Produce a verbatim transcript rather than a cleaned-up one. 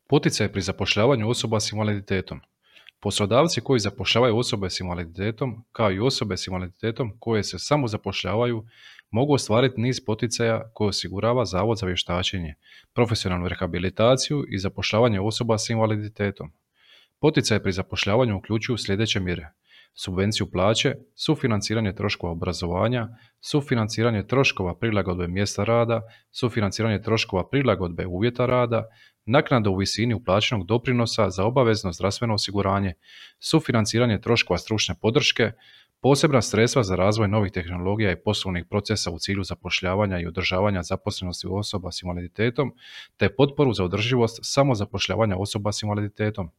Poticaj pri zapošljavanju osoba s invaliditetom. Poslodavci koji zapošljavaju osobe s invaliditetom, kao i osobe s invaliditetom koje se samozapošljavaju, mogu ostvariti niz poticaja koje osigurava Zavod za vještačenje, profesionalnu rehabilitaciju i zapošljavanje osoba s invaliditetom. Poticaje pri zapošljavanju uključuju sljedeće mjere: subvenciju plaće, sufinanciranje troškova obrazovanja, sufinanciranje troškova prilagodbe mjesta rada, sufinanciranje troškova prilagodbe uvjeta rada, naknada u visini uplaćenog doprinosa za obavezno zdravstveno osiguranje, sufinanciranje troškova stručne podrške, posebna sredstva za razvoj novih tehnologija i poslovnih procesa u cilju zapošljavanja i održavanja zaposlenosti osoba s invaliditetom, te potporu za održivost samozapošljavanja osoba s invaliditetom.